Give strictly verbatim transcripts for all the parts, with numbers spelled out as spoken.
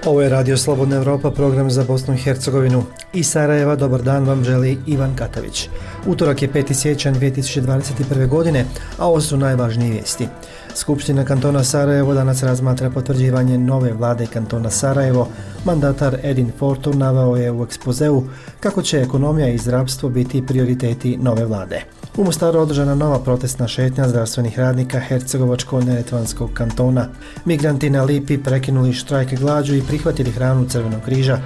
Ovo je Radio Slobodna Europa, program za Bosnu i Hercegovinu. Iz Sarajeva dobar dan vam želi Ivan Katavić. Utorak je peti siječanj dvije tisuće dvadeset prve. godine, a ovo su najvažnije vijesti. Skupština kantona Sarajevo danas razmatra potvrđivanje nove vlade kantona Sarajevo. Mandatar Edin Forto naveo je u ekspozeu kako će ekonomija i zdravstvo biti prioriteti nove vlade. U Mostaru održana nova protestna šetnja zdravstvenih radnika Hercegovačko-neretvanskog kantona. Migranti na Lipi prekinuli štrajk glađu i prihvatili hranu Crvenog križa.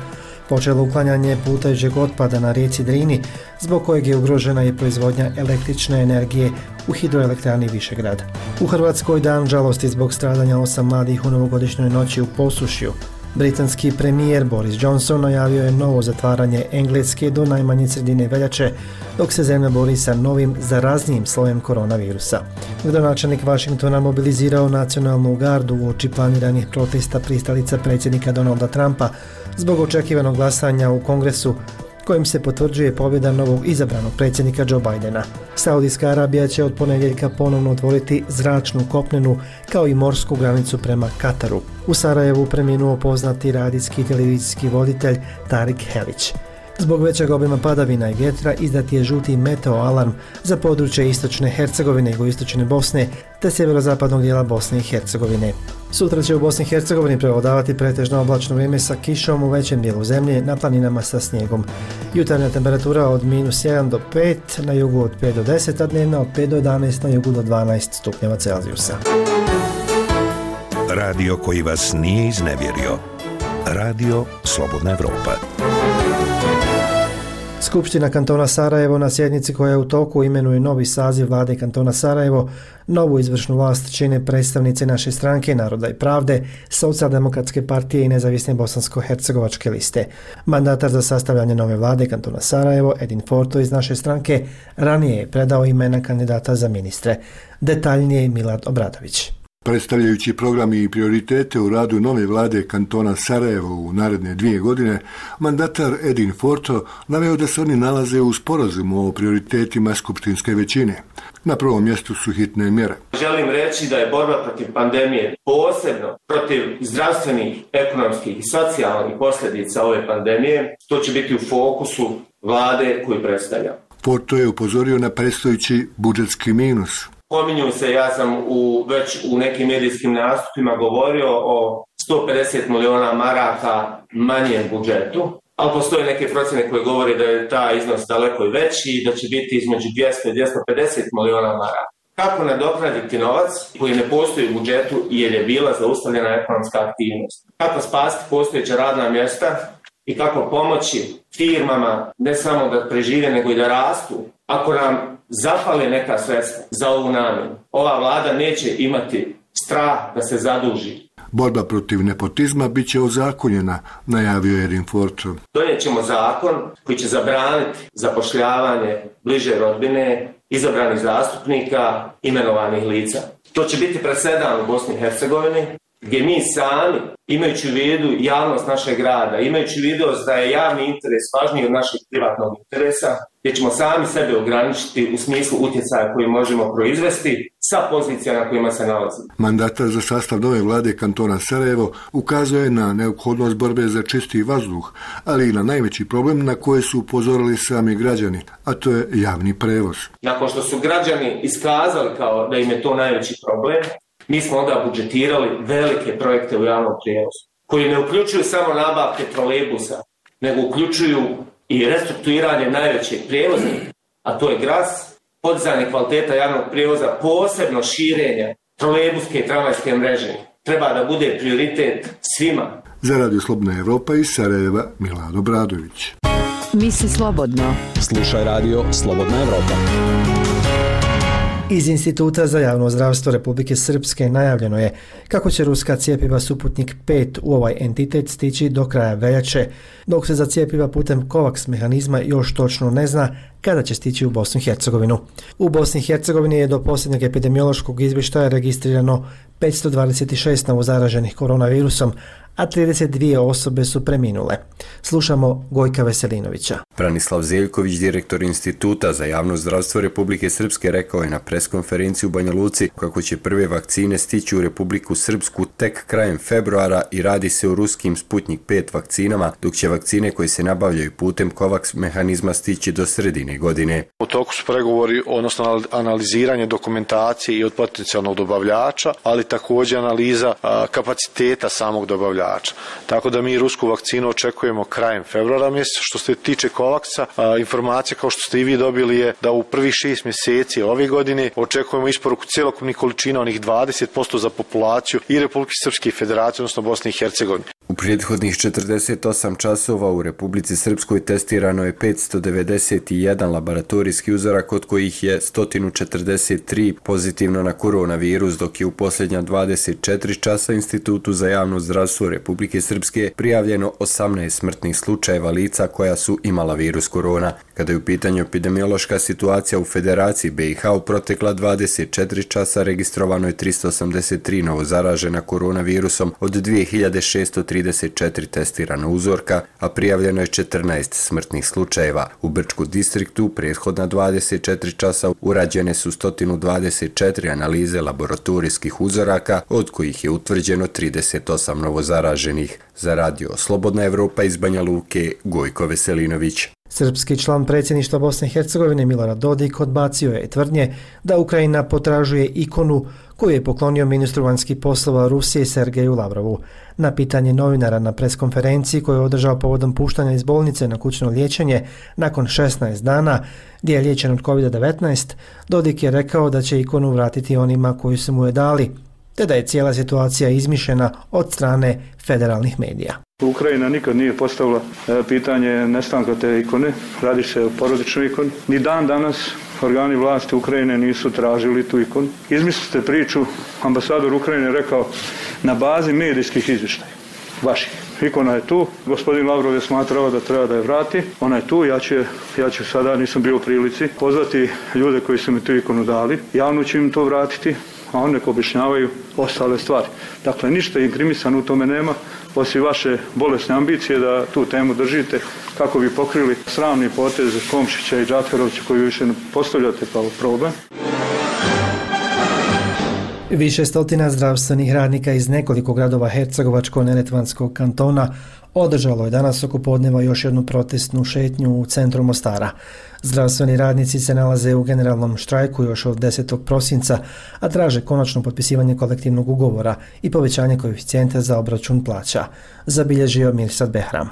Počelo uklanjanje plutajućeg otpada na rijeci Drini, zbog kojeg je ugrožena i proizvodnja električne energije u hidroelektrani Višegrad. U Hrvatskoj dan žalosti zbog stradanja osam mladih u novogodišnjoj noći u Posušju. Britanski premijer Boris Johnson najavio je novo zatvaranje Engleske do najmanje sredine veljače, dok se zemlja bori sa novim zaraznijim slojem koronavirusa. Gradonačelnik Washingtona mobilizirao nacionalnu gardu uoči planiranih protesta pristalica predsjednika Donalda Trumpa zbog očekivanog glasanja u Kongresu kojim se potvrđuje pobjeda novog izabranog predsjednika Joe Bidena. Saudijska Arabija će od ponedjeljka ponovno otvoriti zračnu, kopnenu kao i morsku granicu prema Kataru. U Sarajevu preminuo poznati radijski i televizijski voditelj Tarik Helić. Zbog većeg obima padavina i vjetra izdat je žuti meteo alarm za područje istočne Hercegovine, jugoistočne Bosne te sjeverozapadnog dijela Bosne i Hercegovine. Sutra će u Bosni i Hercegovini prevladavati pretežno oblačno vrijeme sa kišom u većem dijelu zemlje, na planinama sa snijegom. Jutarnja temperatura od minus jedan do pet, na jugu od pet do deset, a dnevna od pet do jedanaest, na jugu do dvanaest stupnjeva Celzijusa. Radio koji vas nije iznevjerio. Radio Slobodna Europa. Skupština kantona Sarajevo na sjednici koja je u toku imenuje novi saziv vlade kantona Sarajevo. Novu izvršnu vlast čine predstavnice naše stranke Naroda i pravde, Socijaldemokratske partije i nezavisne bosansko-hercegovačke liste. Mandatar za sastavljanje nove vlade kantona Sarajevo, Edin Forto iz naše stranke, ranije je predao imena kandidata za ministre. Detaljnije Milad Obradović. Predstavljajući programi i prioritete u radu nove vlade kantona Sarajevo u naredne dvije godine, mandatar Edin Forto naveo da se oni nalaze u sporazumu o prioritetima skupštinske većine. Na prvom mjestu su hitne mjere. Želim reći da je borba protiv pandemije, posebno protiv zdravstvenih, ekonomskih i socijalnih posljedica ove pandemije, to će biti u fokusu vlade koju predstavlja. Forto je upozorio na predstojeći budžetski minus. Pominju se, ja sam u, već u nekim medijskim nastupima govorio o sto pedeset milijuna maraka manjem budžetu, ali postoje neke procjene koje govore da je taj iznos daleko i veći i da će biti između dvjesto i dvjesto pedeset milijuna maraka. Kako nadoknaditi novac koji ne postoji u budžetu jer je bila zaustavljena ekonomska aktivnost? Kako spasiti postojeća radna mjesta i kako pomoći firmama ne samo da prežive nego i da rastu? Ako nam zafale neka sredstva za ovu namjenu, ova vlada neće imati strah da se zaduži. Borba protiv nepotizma bit će ozakonjena, najavio je Edin Forto. Donijet ćemo zakon koji će zabraniti zapošljavanje bliže rodbine, izabranih zastupnika, imenovanih lica. To će biti presedan u Bosni i Hercegovini, gdje mi sami, imajući u vidu javnost našeg grada, imajući u vidu da je javni interes važniji od našeg privatnog interesa, gdje ćemo sami sebe ograničiti u smislu utjecaja koji možemo proizvesti sa pozicija na kojima se nalazimo. Mandatar za sastav nove vlade kantona Sarajevo ukazuje na neophodnost borbe za čisti vazduh, ali i na najveći problem na koje su upozorili sami građani, a to je javni prevoz. Nakon što su građani iskazali kao da im je to najveći problem, mi smo onda budžetirali velike projekte u javnom prijevozu, koji ne uključuju samo nabavke trolejbusa, nego uključuju i restrukturiranje najvećeg prijevoznika, a to je Gras, podizanje kvaliteta javnog prijevoza, posebno širenja trolejbuske i tramvajske mreže. Treba da bude prioritet svima. Za Radio Slobodna Europa iz Sarajeva, Milad Obradović. Misli slobodno. Slušaj Radio Slobodna Europa. Iz Instituta za javno zdravstvo Republike Srpske najavljeno je kako će ruska cjepiva Suputnik pet u ovaj entitet stići do kraja veljače, dok se za cjepiva putem COVAX mehanizma još točno ne zna kada će stići u Bosnu i Hercegovinu. U Bosni i Hercegovini je do posljednjeg epidemiološkog izvještaja registrirano petsto dvadeset šest novozaraženih koronavirusom, a trideset dvije osobe su preminule. Slušamo Gojka Veselinovića. Branislav Zeljković, direktor Instituta za javno zdravstvo Republike Srpske, rekao je na preskonferenciji u Banja Luci kako će prve vakcine stići u Republiku Srpsku tek krajem februara i radi se o ruskim Sputnik pet vakcinama, dok će vakcine koje se nabavljaju putem COVAX mehanizma stići do sredine godine. U toku su pregovori, odnosno analiziranje dokumentacije i od potencijalnog dobavljača, ali također analiza a, kapaciteta samog dobavljača. Tako da mi rusku vakcinu očekujemo krajem februara mjeseca. Što se tiče COVAX-a, informacija kao što ste i vi dobili je da u prvih šest mjeseci ove godine očekujemo isporuku cjelokupnih količina, onih dvadeset posto za populaciju i Republike Srpske i Federacije, odnosno Bosne i Hercegovine. U prethodnih četrdeset osam časova u Republici Srpskoj testirano je petsto devedeset jedan laboratorijski uzorak, od kojih je sto četrdeset tri pozitivno na koronavirus, dok je u posljednja dvadeset četiri časa Institutu za javno zdravstvo Republike Srpske prijavljeno osamnaest smrtnih slučajeva lica koja su imala virus korona. Kada je u pitanju epidemiološka situacija u Federaciji B i H, u protekla dvadeset četiri časa registrovano je tristo osamdeset tri novozaražena koronavirusom od dvije hiljade šessto trideset četiri testirana uzorka, a prijavljeno je četrnaest smrtnih slučajeva. U Brčku distriktu prethodna dvadeset četiri časa urađene su sto dvadeset četiri analize laboratorijskih uzoraka, od kojih je utvrđeno trideset osam novozaraženih. Za radio Slobodna Evropa iz Banja Luke, Gojko Veselinović. Srpski član predsjedništva Bosne i Hercegovine Milorad Dodik odbacio je tvrdnje da Ukrajina potražuje ikonu koju je poklonio ministru vanjskih poslova Rusije Sergeju Lavrovu. Na pitanje novinara na preskonferenciji koju je održao povodom puštanja iz bolnice na kućno liječenje nakon šesnaest dana, gdje je liječen od kovid devetnaest, Dodik je rekao da će ikonu vratiti onima koji su mu je dali, te da je cijela situacija izmišljena od strane federalnih medija. Ukrajina nikad nije postavila pitanje nestanka te ikone, radi se o porodičnoj ikoni. Ni dan danas organi vlasti Ukrajine nisu tražili tu ikonu. Izmislite priču, ambasador Ukrajine rekao na bazi medijskih izvještaja, vaših. Ikona je tu, gospodin Lavrov je smatrao da treba da je vrati, ona je tu, ja ću, ja ću sada, nisam bio u prilici, pozvati ljude koji su mi tu ikonu dali, javno ću im to vratiti, a oni nek objašnjavaju ostale stvari. Dakle, ništa inkrimisan u tome nema, osim vaše bolesne ambicije da tu temu držite kako bi pokrili sramni potez Komšića i Džaferovića koji više ne postavljate kao problem. Više stotina zdravstvenih radnika iz nekoliko gradova Hercegovačko-neretvanskog kantona održalo je danas oko podneva još jednu protestnu šetnju u centru Mostara. Zdravstveni radnici se nalaze u generalnom štrajku još od desetog prosinca, a traže konačno potpisivanje kolektivnog ugovora i povećanje koeficijenta za obračun plaća, zabilježio Mirsad Behram.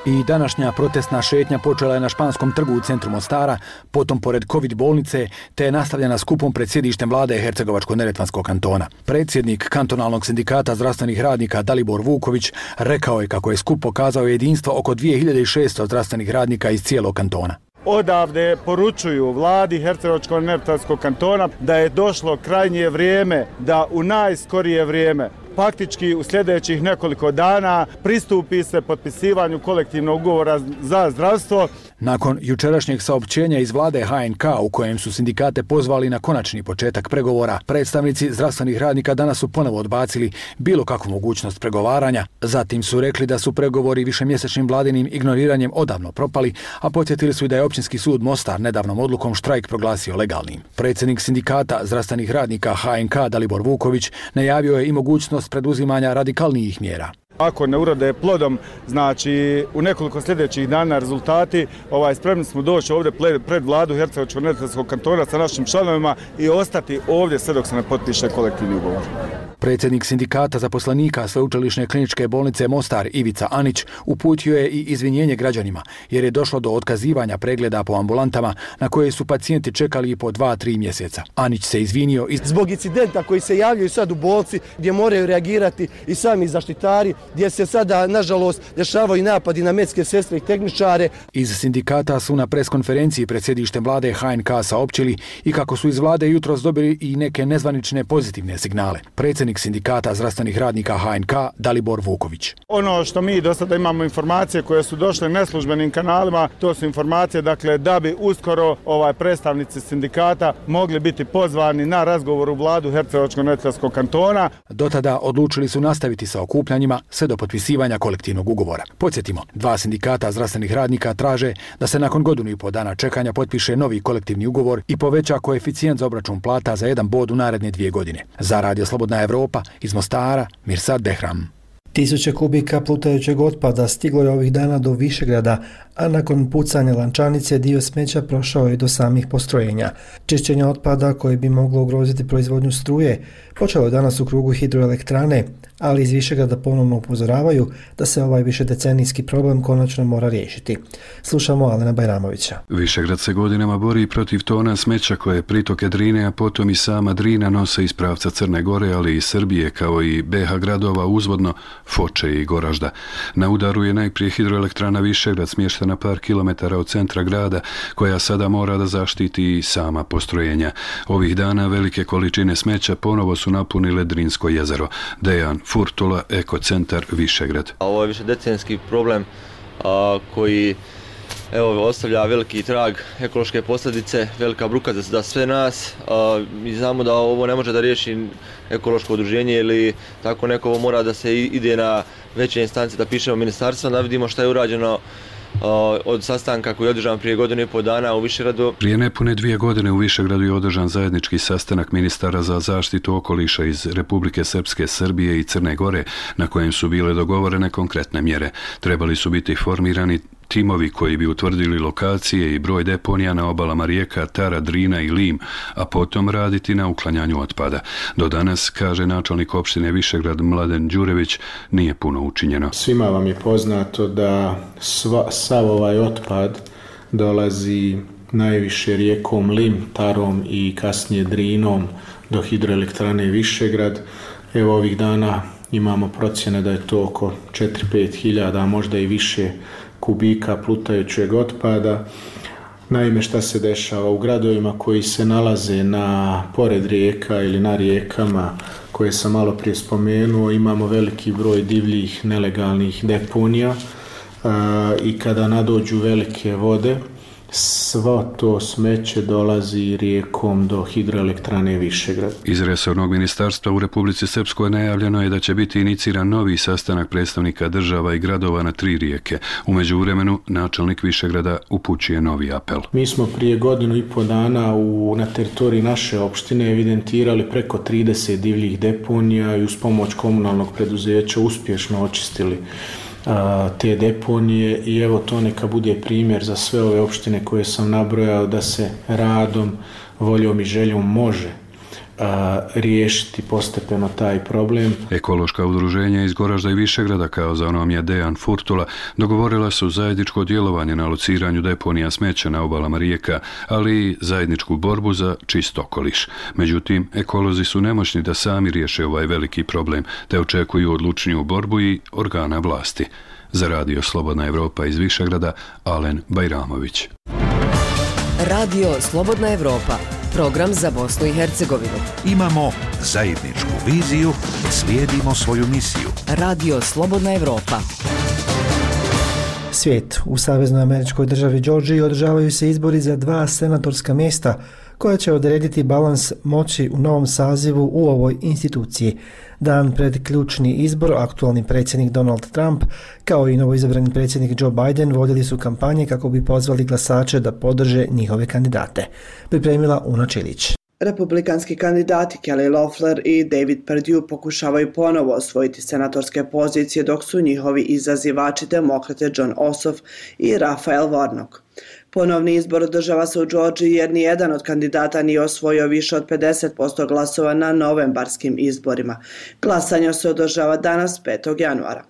I današnja protestna šetnja počela je na Španskom trgu u centru Mostara, potom pored COVID bolnice, te je nastavljena skupom pred sjedištem vlade Hercegovačko-neretvanskog kantona. Predsjednik kantonalnog sindikata zdravstvenih radnika Dalibor Vuković rekao je kako je skup pokazao jedinstvo oko dvije hiljade šesto zdravstvenih radnika iz cijelog kantona. Odavde poručuju vladi Hercegovačko-neretvanskog kantona da je došlo krajnje vrijeme da u najskorije vrijeme, faktički u sljedećih nekoliko dana, pristupi se potpisivanju kolektivnog ugovora za zdravstvo. Nakon jučerašnjeg saopćenja iz vlade H N K u kojem su sindikate pozvali na konačni početak pregovora, predstavnici zdravstvenih radnika danas su ponovo odbacili bilo kakvu mogućnost pregovaranja. Zatim su rekli da su pregovori višemjesečnim vladinim ignoriranjem odavno propali, a podsjetili su i da je Općinski sud Mostar nedavnom odlukom štrajk proglasio legalnim. Predsjednik sindikata zdravstvenih radnika H N K Dalibor Vuković najavio je i mogućnost preduzimanja radikalnijih mjera. Ako ne urode plodom, znači u nekoliko sljedećih dana rezultati, ovaj, spremni smo doći ovdje pred vladu Hercegovačko-neretvanskog kantona sa našim članovima i ostati ovdje sve dok se ne potpiše kolektivni ugovor. Predsjednik sindikata zaposlenika Sveučilišne kliničke bolnice Mostar Ivica Anić uputio je i izvinjenje građanima jer je došlo do otkazivanja pregleda po ambulantama na koje su pacijenti čekali po dva tri mjeseca. Anić se izvinio iz... zbog incidenta koji se javljaju sad u bolnici gdje moraju reagirati i sami zaštitari, gdje se sada nažalost dešavaju napadi na medicinske sestre i tehničare. Iz sindikata su na preskonferenciji pred sjedištem vlade H N K saopćili i kako su iz vlade jutros dobili i neke nezvanične pozitivne signale. Predsjednik predsjednik sindikata zdravstvenih radnika H N K Dalibor Vuković. Ono što mi do sada imamo informacije koje su došle neslužbenim kanalima, to su informacije dakle da bi uskoro ovaj predstavnici sindikata mogli biti pozvani na razgovor u vladu Hercegovačko-neretvanskog kantona. Do tada odlučili su nastaviti sa okupljanjima sve do potpisivanja kolektivnog ugovora. Podsjetimo, dva sindikata zdravstvenih radnika traže da se nakon godinu i po dana čekanja potpiše novi kolektivni ugovor i poveća koeficijent za obračun plata za jedan bod u naredne dvije godine. Za Radio Slobodna Evropa iz Mostara, Mirsad Behram. Tisuće kubika plutajućeg otpada stiglo je ovih dana do Višegrada, a nakon pucanja lančanice dio smeća prošao je do samih postrojenja. Čišćenje otpada koje bi moglo ugroziti proizvodnju struje počelo je danas u krugu hidroelektrane, ali iz Višegrada ponovno upozoravaju da se ovaj višedecenijski problem konačno mora riješiti. Slušamo Alena Bajramovića. Višegrad se godinama bori protiv tona smeća koje pritoke Drine, a potom i sama Drina nose iz pravca Crne Gore, ali i Srbije, kao i B H gradova uzvodno, Foče i Goražda. Na udaru je najprije hidroelektrana Višegrad, smještena par kilometara od centra grada, koja sada mora da zaštiti i sama postrojenja. Ovih dana velike količine smeća ponovo su napunile Drinsko jezero. Dejan Furtula, Ekocentar Višegrad. Ovo je višedecenijski problem a, koji evo, ostavlja veliki trag, ekološke posljedice, velika bruka za, za sve nas. A, mi znamo da ovo ne može da riješi ekološko udruženje ili tako neko, ovo mora da se ide na veće instance, da pišemo ministarstva, da vidimo šta je urađeno od sastanka koji je održan prije godinu i pol dana u Višegradu. Prije nepune dvije godine u Višegradu je održan zajednički sastanak ministara za zaštitu okoliša iz Republike Srpske, Srbije i Crne Gore, na kojem su bile dogovorene konkretne mjere. Trebali su biti formirani timovi koji bi utvrdili lokacije i broj deponija na obalama rijeka Tara, Drina i Lim, a potom raditi na uklanjanju otpada. Do danas, kaže načelnik opštine Višegrad Mladen Đurević, nije puno učinjeno. Svima vam je poznato da sva, sav ovaj otpad dolazi najviše rijekom Lim, Tarom i kasnije Drinom do hidroelektrane Višegrad. Evo ovih dana imamo procjene da je to oko četiri do pet hiljada, a možda i više kubika plutajućeg otpada. Naime, šta se dešava u gradovima koji se nalaze na pored rijeka ili na rijekama koje sam malo prije spomenuo, imamo veliki broj divljih nelegalnih deponija a, i kada nadođu velike vode, svo to smeće dolazi rijekom do hidroelektrane Višegrad. Iz resornog ministarstva u Republici Srpskoj najavljeno je da će biti iniciran novi sastanak predstavnika država i gradova na tri rijeke. U međuvremenu načelnik Višegrada upućuje novi apel. Mi smo prije godinu i po dana u, na teritoriji naše opštine evidentirali preko trideset divljih deponija i uz pomoć komunalnog preduzeća uspješno očistili te deponije i evo to neka bude primjer za sve ove opštine koje sam nabrojao da se radom, voljom i željom može a, riješiti postepeno taj problem. Ekološka udruženja iz Goražda i Višegrada, kao za onom je Dejan Furtula, dogovorila su zajedničko djelovanje na lociranju deponija smeća na obalama rijeka, ali i zajedničku borbu za čist okoliš. Međutim, ekolozi su nemoćni da sami riješe ovaj veliki problem, te očekuju odlučniju borbu i organa vlasti. Za Radio Slobodna Evropa iz Višegrada, Alen Bajramović. Radio Slobodna Evropa, program za Bosnu i Hercegovinu. Imamo zajedničku viziju, slijedimo svoju misiju. Radio Slobodna Evropa. Svijet. U Saveznoj američkoj državi Georgiji održavaju se izbori za dva senatorska mjesta koja će odrediti balans moći u novom sazivu u ovoj instituciji. Dan pred ključni izbor, aktualni predsjednik Donald Trump kao i novoizabrani predsjednik Joe Biden vodili su kampanje kako bi pozvali glasače da podrže njihove kandidate. Pripremila Una Čilić. Republikanski kandidati Kelly Loeffler i David Perdue pokušavaju ponovo osvojiti senatorske pozicije, dok su njihovi izazivači demokrate John Ossoff i Raphael Warnock. Ponovni izbor održava se u Georgiji jer nijedan od kandidata nije osvojio više od pedeset posto glasova na novembarskim izborima. Glasanje se održava danas petog januara.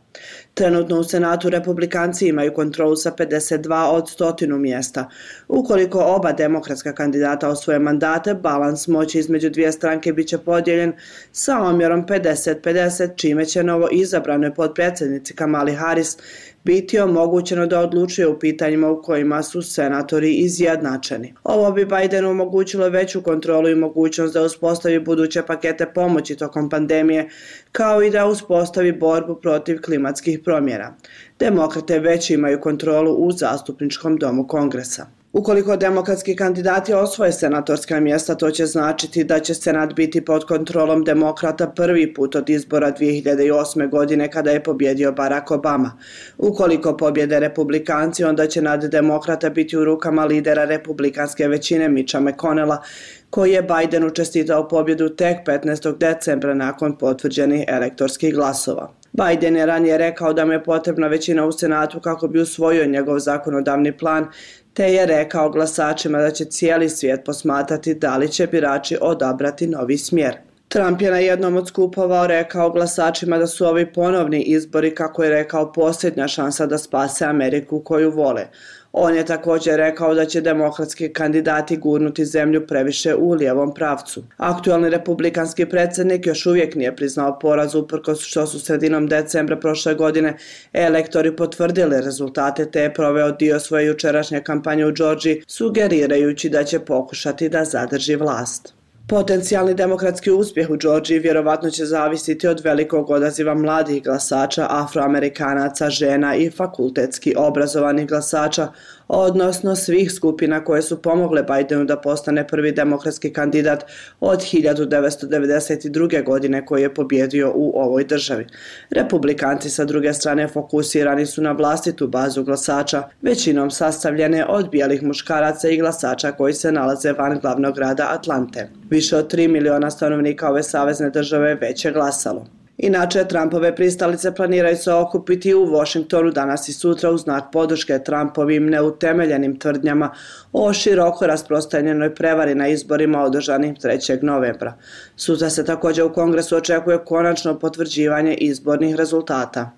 Trenutno u Senatu Republikanci imaju kontrolu sa pedeset dva od stotinu mjesta. Ukoliko oba demokratska kandidata osvoje mandate, balans moći između dvije stranke biće podijeljen sa omjerom pedeset pedeset, čime će novo izabranoj potpredsjednici Kamali Harris biti omogućeno da odlučuje u pitanjima u kojima su senatori izjednačeni. Ovo bi Bidenu omogućilo veću kontrolu i mogućnost da uspostavi buduće pakete pomoći tokom pandemije, kao i da uspostavi borbu protiv klimatskih promjena. Demokrate već imaju kontrolu u zastupničkom domu Kongresa. Ukoliko demokratski kandidati osvoje senatorska mjesta, to će značiti da će senat biti pod kontrolom demokrata prvi put od izbora dvije hiljade osme. godine kada je pobjedio Barack Obama. Ukoliko pobjede republikanci, onda će nad demokrata biti u rukama lidera republikanske većine Mitcha McConnella, koji je Bidenu čestitao pobjedu tek petnaestog decembra nakon potvrđenih elektorskih glasova. Biden je ranije rekao da mu je potrebna većina u Senatu kako bi usvojio njegov zakonodavni plan, te je rekao glasačima da će cijeli svijet posmatrati da li će birači odabrati novi smjer. Trump je na jednom od skupova rekao glasačima da su ovi ponovni izbori, kako je rekao, posljednja šansa da spase Ameriku koju vole. On je također rekao da će demokratski kandidati gurnuti zemlju previše u lijevom pravcu. Aktualni republikanski predsjednik još uvijek nije priznao poraz, uprkos što su sredinom decembra prošle godine elektori potvrdili rezultate, te je proveo dio svoje jučerašnje kampanje u Georgiji, sugerirajući da će pokušati da zadrži vlast. Potencijalni demokratski uspjeh u Georgiji vjerovatno će zavisiti od velikog odaziva mladih glasača, afroamerikanaca, žena i fakultetski obrazovanih glasača, odnosno svih skupina koje su pomogle Bidenu da postane prvi demokratski kandidat od hiljadu devetsto devedeset druge. godine koji je pobjedio u ovoj državi. Republikanci sa druge strane fokusirani su na vlastitu bazu glasača, većinom sastavljene od bijelih muškaraca i glasača koji se nalaze van glavnog grada Atlante. Više od tri miliona stanovnika ove savezne države već je glasalo. Inače, Trumpove pristalice planiraju se okupiti u Washingtonu danas i sutra u znak podrške Trumpovim neutemeljenim tvrdnjama o široko rasprostranjenoj prevari na izborima održanim trećeg novembra. Sutra se također u Kongresu očekuje konačno potvrđivanje izbornih rezultata.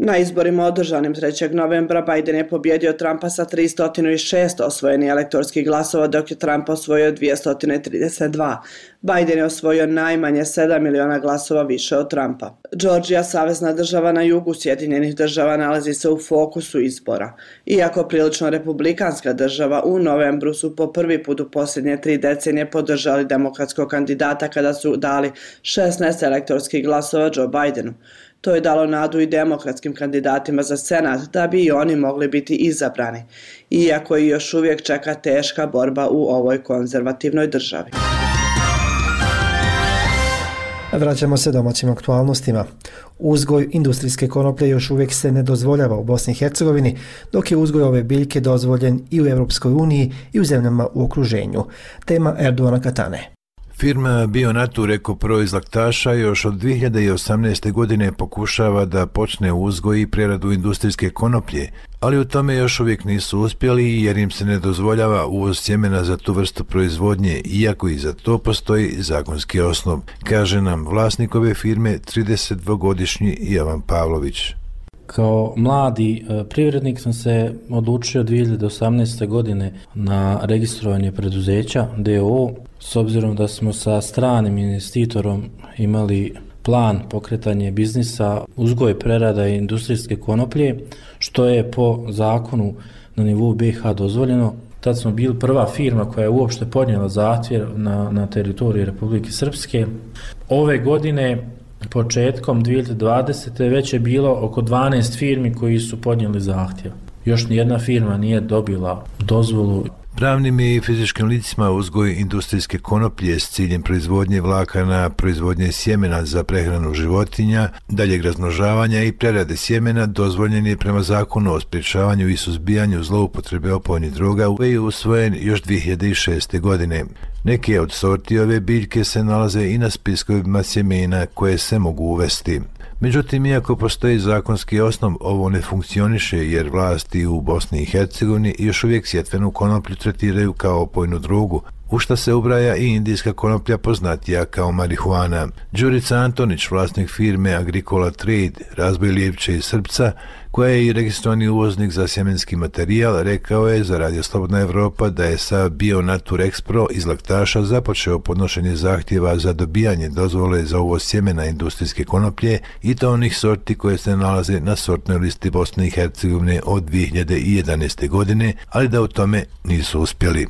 Na izborima održanim trećeg novembra Biden je pobjedio Trumpa sa tristo šest osvojenih elektorskih glasova, dok je Trump osvojio dvjesto trideset dva. Biden je osvojio najmanje sedam miliona glasova više od Trumpa. Georgija, savezna država na jugu Sjedinjenih država, nalazi se u fokusu izbora. Iako prilično republikanska država, u novembru su po prvi put u posljednje tri decenije podržali demokratskog kandidata kada su dali šesnaest elektorskih glasova Joe Bidenu. To je dalo nadu i demokratskim kandidatima za senat da bi i oni mogli biti izabrani, iako i još uvijek čeka teška borba u ovoj konzervativnoj državi. Vraćamo se domaćim aktualnostima. Uzgoj industrijske konoplje još uvijek se ne dozvoljava u Bosni i Hercegovini, dok je uzgoj ove biljke dozvoljen i u Europskoj uniji i u zemljama u okruženju. Tema Erdoana Katane. Firma Bionature Eko-Pro iz Laktaša još od dvije hiljade osamnaeste. godine pokušava da počne uzgoj i preradu industrijske konoplje, ali u tome još uvijek nisu uspjeli jer im se ne dozvoljava uvoz sjemena za tu vrstu proizvodnje, iako i za to postoji zakonski osnov, kaže nam vlasnik ove firme tridesetdvogodišnji Jovan Pavlović. Kao mladi privrednik sam se odlučio dvije hiljade osamnaeste. godine na registrovanje preduzeća D O O, s obzirom da smo sa stranim investitorom imali plan pokretanje biznisa uzgoj, prerada i industrijske konoplje, što je po zakonu na nivou B iH dozvoljeno. Tad smo bili prva firma koja je uopšte podnijela zahtjev na, na teritoriji Republike Srpske. Ove godine, početkom dvije hiljade dvadesete. već je bilo oko dvanaest firmi koji su podnijeli zahtjev. Još nijedna firma nije dobila dozvolu. Pravnim i fizičkim licima uzgoj industrijske konoplje s ciljem proizvodnje vlakana, proizvodnje sjemena za prehranu životinja, daljeg razmnožavanja i prerade sjemena dozvoljen je prema zakonu o sprječavanju i suzbijanju zloupotrebe opojnih droga koji je usvojen još dvije hiljade šeste. godine. Neke od sorti ove biljke se nalaze i na spiskovima sjemena koje se mogu uvesti. Međutim, iako postoji zakonski osnov, ovo ne funkcioniše jer vlasti u Bosni i Hercegovini još uvijek sjetvenu konoplju tretiraju kao opojnu drogu. u šta se ubraja i indijska konoplja poznatija kao marihuana. Đurica Antonić, vlasnik firme Agricola Trade, razvoj lijepče iz srpca, koja je i registrovani uvoznik za sjemenski materijal, rekao je za Radio Slobodna Evropa da je sa Bionatur Expro iz Laktaša započeo podnošenje zahtjeva za dobijanje dozvole za uvoz sjemena industrijske konoplje i to onih sorti koje se nalaze na sortnoj listi Bosne i Hercegovine od dvije hiljade jedanaeste. godine, ali da u tome nisu uspjeli.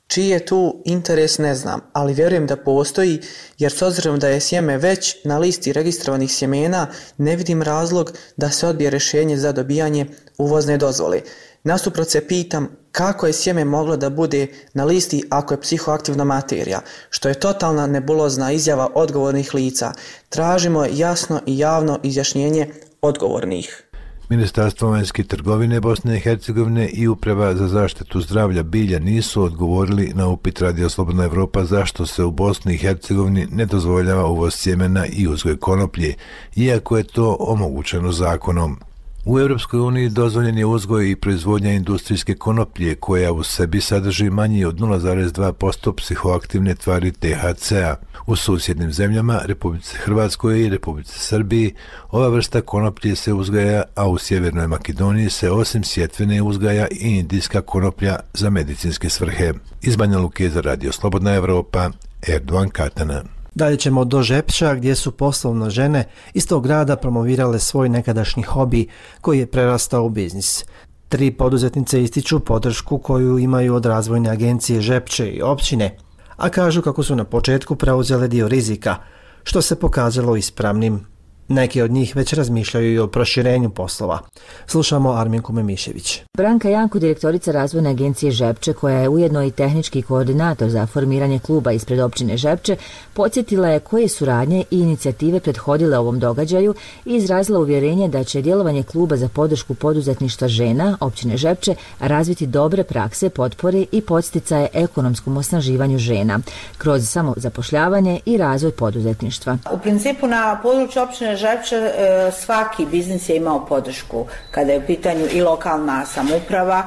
Čiji je tu interes ne znam, ali vjerujem da postoji, jer s obzirom da je sjeme već na listi registrovanih sjemena, ne vidim razlog da se odbije rješenje za dobijanje uvozne dozvole. Nasuprot se pitam kako je sjeme moglo da bude na listi ako je psihoaktivna materija, što je totalna nebulozna izjava odgovornih lica. Tražimo jasno i javno izjašnjenje odgovornih. Ministarstvo vanjske trgovine Bosne i Hercegovine i Uprava za zaštitu zdravlja bilja nisu odgovorili na upit Radio Slobodna Evropa zašto se u Bosni i Hercegovini ne dozvoljava uvoz sjemena i uzgoj konoplje, iako je to omogućeno zakonom. U Europskoj uniji dozvoljen je uzgoj i proizvodnja industrijske konoplje koja u sebi sadrži manje od nula zarez dva posto psihoaktivne tvari T H C-a. U susjednim zemljama, Republici Hrvatskoj i Republici Srbiji, ova vrsta konoplje se uzgaja, a u Sjevernoj Makedoniji se osim sjetvene uzgaja i indijska konoplja za medicinske svrhe. Iz Banja Luke za Radio Slobodna Evropa, Erdovan Katana. Dalje ćemo do Žepča gdje su poslovno žene iz tog grada promovirale svoj nekadašnji hobi koji je prerastao u biznis. Tri poduzetnice ističu podršku koju imaju od razvojne agencije Žepče i općine, a kažu kako su na početku preuzele dio rizika, što se pokazalo ispravnim. Neki od njih već razmišljaju i o proširenju poslova. Slušamo Arminku Memišević. Branka Janko, direktorica razvojne agencije Žepče, koja je ujedno i tehnički koordinator za formiranje kluba ispred općine Žepče, podsjetila je koje su radnje i inicijative prethodile ovom događaju i izrazila uvjerenje da će djelovanje kluba za podršku poduzetništva žena općine Žepče razviti dobre prakse, potpore i podsticaje ekonomskom osnaživanju žena kroz samozapošljavanje i razvoj poduzetništva. U principu na području općine Žepče svaki biznis je imao podršku kada je u pitanju i lokalna samouprava,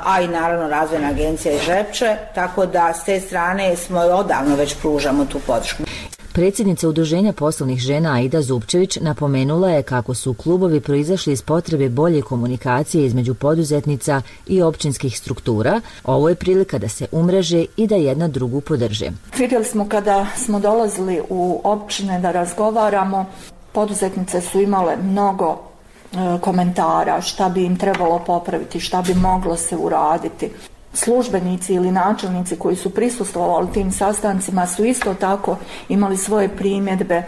a i naravno razvojna agencija i Žepče, tako da s te strane smo odavno već pružamo tu podršku. Predsjednica Udruženja poslovnih žena Aida Zupčević napomenula je kako su klubovi proizašli iz potrebe bolje komunikacije između poduzetnica i općinskih struktura. Ovo je prilika da se umreže i da jedna drugu podrže. Vidjeli smo kada smo dolazili u općine da razgovaramo, poduzetnice su imale mnogo e, komentara šta bi im trebalo popraviti, šta bi moglo se uraditi. Službenici ili načelnici koji su prisustvovali tim sastancima su isto tako imali svoje primjedbe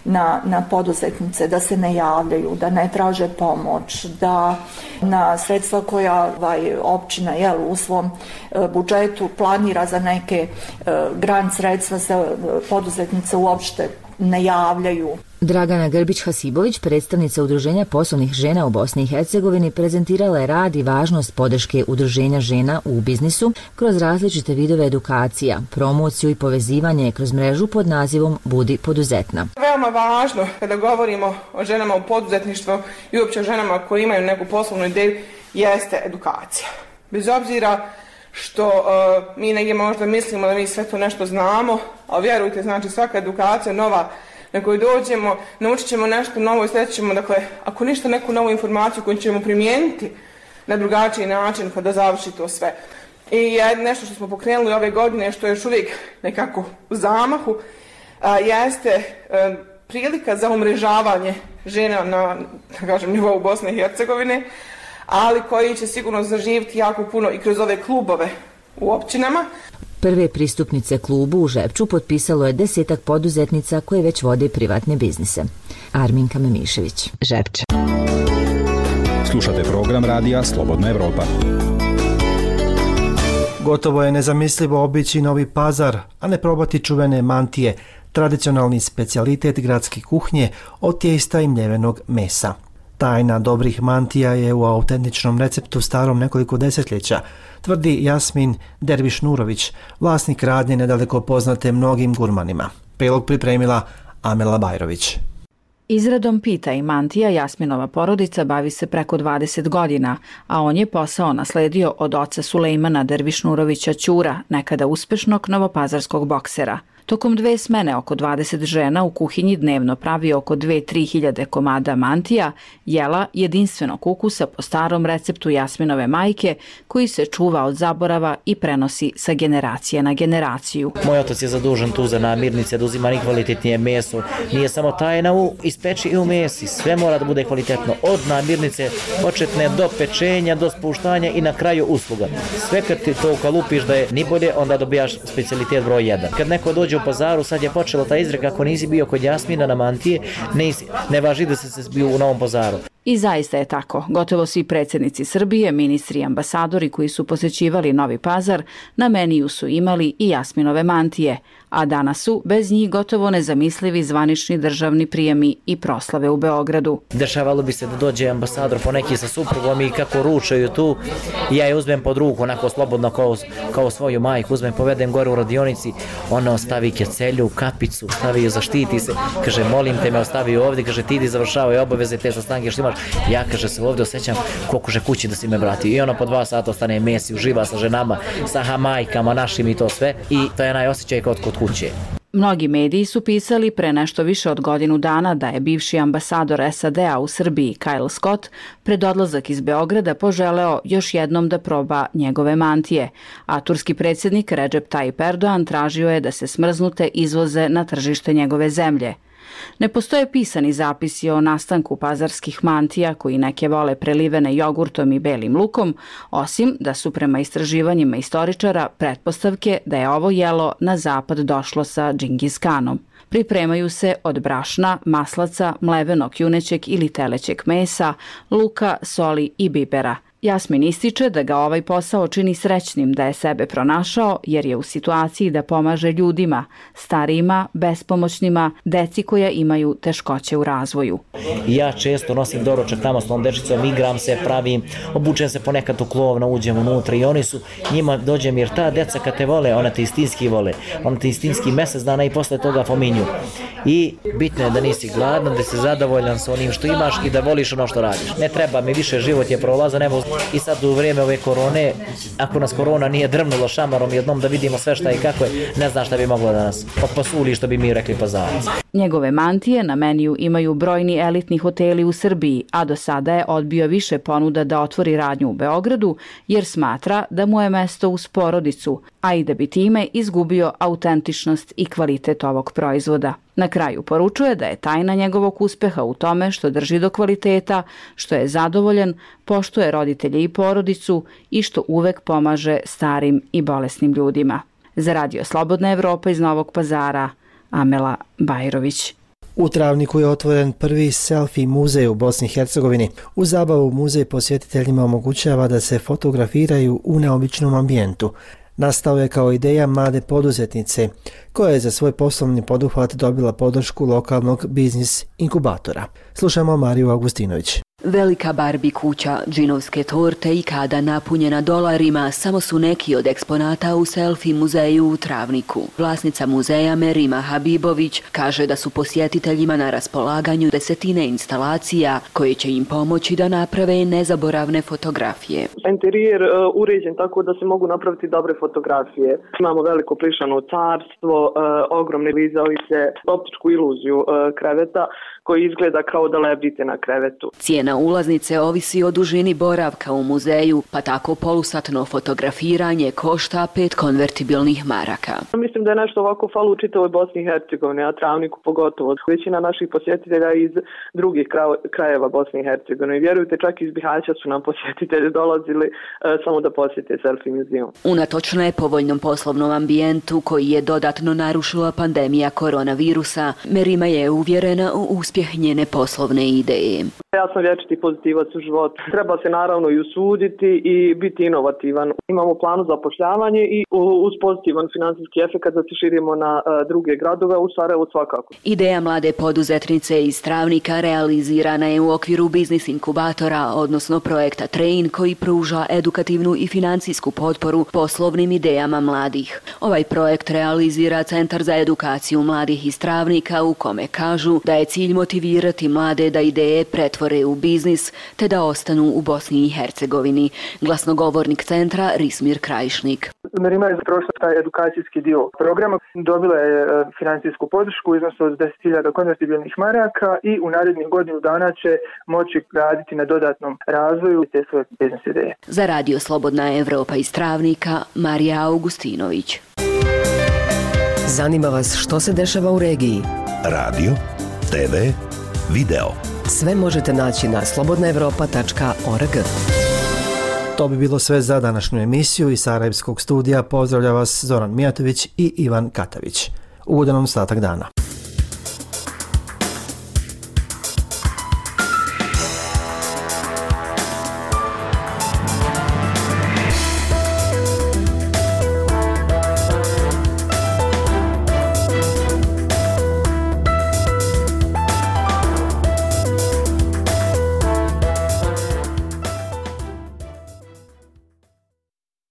na, na poduzetnice, da se ne javljaju, da ne traže pomoć, da na sredstva koja ovaj, općina jel, u svom e, budžetu planira za neke e, grant sredstva za poduzetnice uopšte ne javljaju. Dragana Grbić-Hasibović, predstavnica Udruženja poslovnih žena u Bosni i Hercegovini, prezentirala je rad i važnost podrške Udruženja žena u biznisu kroz različite vidove edukacija, promociju i povezivanje kroz mrežu pod nazivom Budi poduzetna. Veoma važno kada govorimo o ženama u poduzetništvu i uopće o ženama koji imaju neku poslovnu ideju jeste edukacija. Bez obzira što uh, mi negdje možda mislimo da mi sve to nešto znamo, a vjerujte, znači svaka edukacija nova na koju dođemo, naučit ćemo nešto novo i sljedeći ćemo, dakle, ako ništa, neku novu informaciju koju ćemo primijeniti na drugačiji način kada završi to sve. I nešto što smo pokrenuli ove godine, što je još uvijek nekako u zamahu, a, jeste a, prilika za umrežavanje žena na, da kažem, nivou Bosne i Hercegovine, ali koji će sigurno zaživiti jako puno i kroz ove klubove u općinama. Prve pristupnice klubu u Žepču potpisalo je desetak poduzetnica koje već vode privatne biznise. Arminka Memišević, Žepče. Slušate program radija Slobodna Evropa. Gotovo je nezamislivo obići Novi Pazar, a ne probati čuvene mantije, tradicionalni specijalitet gradske kuhnje od tijesta i mljevenog mesa. Tajna dobrih mantija je u autentičnom receptu starom nekoliko desetljeća, tvrdi Jasmin Derviš-Nurović, vlasnik radnje nedaleko poznate mnogim gurmanima. Prilog pripremila Amela Bajrović. Izradom pita i mantija Jasminova porodica bavi se preko dvadeset godina, a on je posao nasledio od oca Sulejmana Dervišnurovića Ćura, nekada uspešnog novopazarskog boksera. Tokom dve smene oko dvadeset žena u kuhinji dnevno pravi oko dve do tri hiljade komada mantija, jela jedinstvenog ukusa po starom receptu Jasminove majke, koji se čuva od zaborava i prenosi sa generacije na generaciju. Moj otac je zadužen tu za namirnice, da uzima najkvalitetnije meso. Nije samo tajna u ispeči i u mesi, sve mora da bude kvalitetno. Od namirnice početne do pečenja, do spuštanja i na kraju usluga. Sve kad ti to ukalupiš da je ni bolje, onda dobijaš specijalitet broj jedan. Kad neko dođe u pazaru, sad je počela ta izreka, ako nisi bio kod Jasmina na mantije, ne, ne važi da se bio u Novom Pazaru. I zaista je tako. Gotovo svi predsjednici Srbije, ministri i ambasadori koji su posećivali Novi Pazar, na meniju su imali i Jasminove mantije, a danas su bez njih gotovo nezamislivi zvanični državni prijemi i proslave u Beogradu. Dešavalo bi se da dođe ambasador poneki sa suprugom i kako ručaju tu, ja je uzmem pod ruku, onako slobodno kao, kao svoju majku, uzmem, povedem gore u radionici, ona ostavi kecelju, kapicu, stavi ju, zaštiti se, kaže, molim te me, ostavi ju ovdje, kaže, ti idi završavaju obaveze te sastanke što imaš, ja, kaže, se ovdje osjećam koliko že kući da si me vrati. I ono po dva sata ostane mesi, uživa sa ženama, sa hamajkama našim i to sve, i to je najosjećaj kod kod kuće. Mnogi mediji su pisali pre nešto više od godinu dana da je bivši ambasador S A D-a u Srbiji Kyle Scott pred odlazak iz Beograda poželeo još jednom da proba njegove mantije, a turski predsjednik Recep Tayyip Erdogan tražio je da se smrznute izvoze na tržište njegove zemlje. Ne postoje pisani zapisi o nastanku pazarskih mantija koji neke vole prelivene jogurtom i belim lukom, osim da su prema istraživanjima istoričara pretpostavke da je ovo jelo na zapad došlo sa Džingis Kanom. Pripremaju se od brašna, maslaca, mlevenog junećeg ili telećeg mesa, luka, soli i bibera. Jasmin ističe da ga ovaj posao čini srećnim da je sebe pronašao jer je u situaciji da pomaže ljudima, starijima, bespomoćnima, deci koja imaju teškoće u razvoju. Ja često nosim doručak tamo s tom dečicom, igram se, pravim, obučem se ponekad u klovno, uđem unutra i oni su, njima dođem jer ta deca kad te vole, ona te istinski vole, ona te istinski mjesec dana i posle toga pominju. I bitno je da nisi gladan, da si zadovoljan sa onim što imaš i da voliš ono što radiš. Ne treba mi više, život je prolazan, evo i sad u vrijeme ove korone, ako nas korona nije drmnula šamarom jednom da vidimo sve šta i kako je, ne znam šta bi moglo da nas opasuli što bi mi rekli Pazarac. Njegove mantije na meniju imaju brojni elitni hoteli u Srbiji, a do sada je odbio više ponuda da otvori radnju u Beogradu jer smatra da mu je mesto uz porodicu, a i da bi time izgubio autentičnost i kvalitet ovog proizvoda. Na kraju poručuje da je tajna njegovog uspeha u tome što drži do kvaliteta, što je zadovoljan, poštuje roditelje i porodicu i što uvek pomaže starim i bolesnim ljudima. Za Radio Slobodna Evropa iz Novog Pazara, Amela Bajrović. U Travniku je otvoren prvi selfie muzej u Bosni i Hercegovini. U zabavu muzej posjetiteljima omogućava da se fotografiraju u neobičnom ambijentu. Nastao je kao ideja mlade poduzetnice, koja je za svoj poslovni poduhvat dobila podršku lokalnog biznis inkubatora. Slušamo Mariju Augustinović. Velika Barbie kuća, džinovske torte i kada napunjena dolarima samo su neki od eksponata u selfie muzeju u Travniku. Vlasnica muzeja Merima Habibović kaže da su posjetiteljima na raspolaganju desetine instalacija koje će im pomoći da naprave nezaboravne fotografije. Interijer uh, uređen tako da se mogu napraviti dobre fotografije. Imamo veliko plišano carstvo, uh, ogromne vizalice, optičku iluziju uh, kreveta koji izgleda kao da lebdite na krevetu. Cijena ulaznice ovisi o dužini boravka u muzeju, pa tako polusatno fotografiranje košta pet konvertibilnih maraka. Mislim da je nešto ovako falo u čitavoj Bosni i Hercegovini, a Travniku pogotovo. Većina naših posjetitelja iz drugih krajeva Bosne i Hercegovine. Vjerujte, čak iz Bihaća su nam posjetitelji dolazili e, samo da posjete selfie muzeum. Unatoč nepovoljnom poslovnom ambijentu koji je dodatno narušila pandemija koronavirusa, Merima je uvjerena u uspjeh njene poslovne ideje. Ja sam vječna večiti pozitivac u životu. Treba se naravno i usuditi i biti inovativan. Imamo planu za zapošljavanje i uz pozitivan financijski efekt da se širimo na druge gradove, u Sarajevu svakako. Ideja mlade poduzetnice iz Travnika realizirana je u okviru biznis inkubatora, odnosno projekta Train, koji pruža edukativnu i financijsku potporu poslovnim idejama mladih. Ovaj projekt realizira Centar za edukaciju mladih iz Travnika, u kome kažu da je cilj motivirati mlade da ideje pretvore u biznis te da ostanu u Bosni i Hercegovini. Glasnogovornik centra Rismir Krajišnik. Merima je prošla taj edukacijski dio programa, dobila je financijsku podršku u iznosu od deset hiljada konvertibilnih maraka i u narednih godinu dana će moći raditi na dodatnom razvoju te svoje biznis ideje. Za Radio Slobodna Evropa iz Travnika, Marija Augustinović. Zanima vas što se dešava u regiji? Radio, te ve, video. Sve možete naći na slobodna evropa tačka org. To bi bilo sve za današnju emisiju. Iz Sarajevskog studija pozdravlja vas Zoran Mijatović i Ivan Katavić. Ugodan ostatak dana.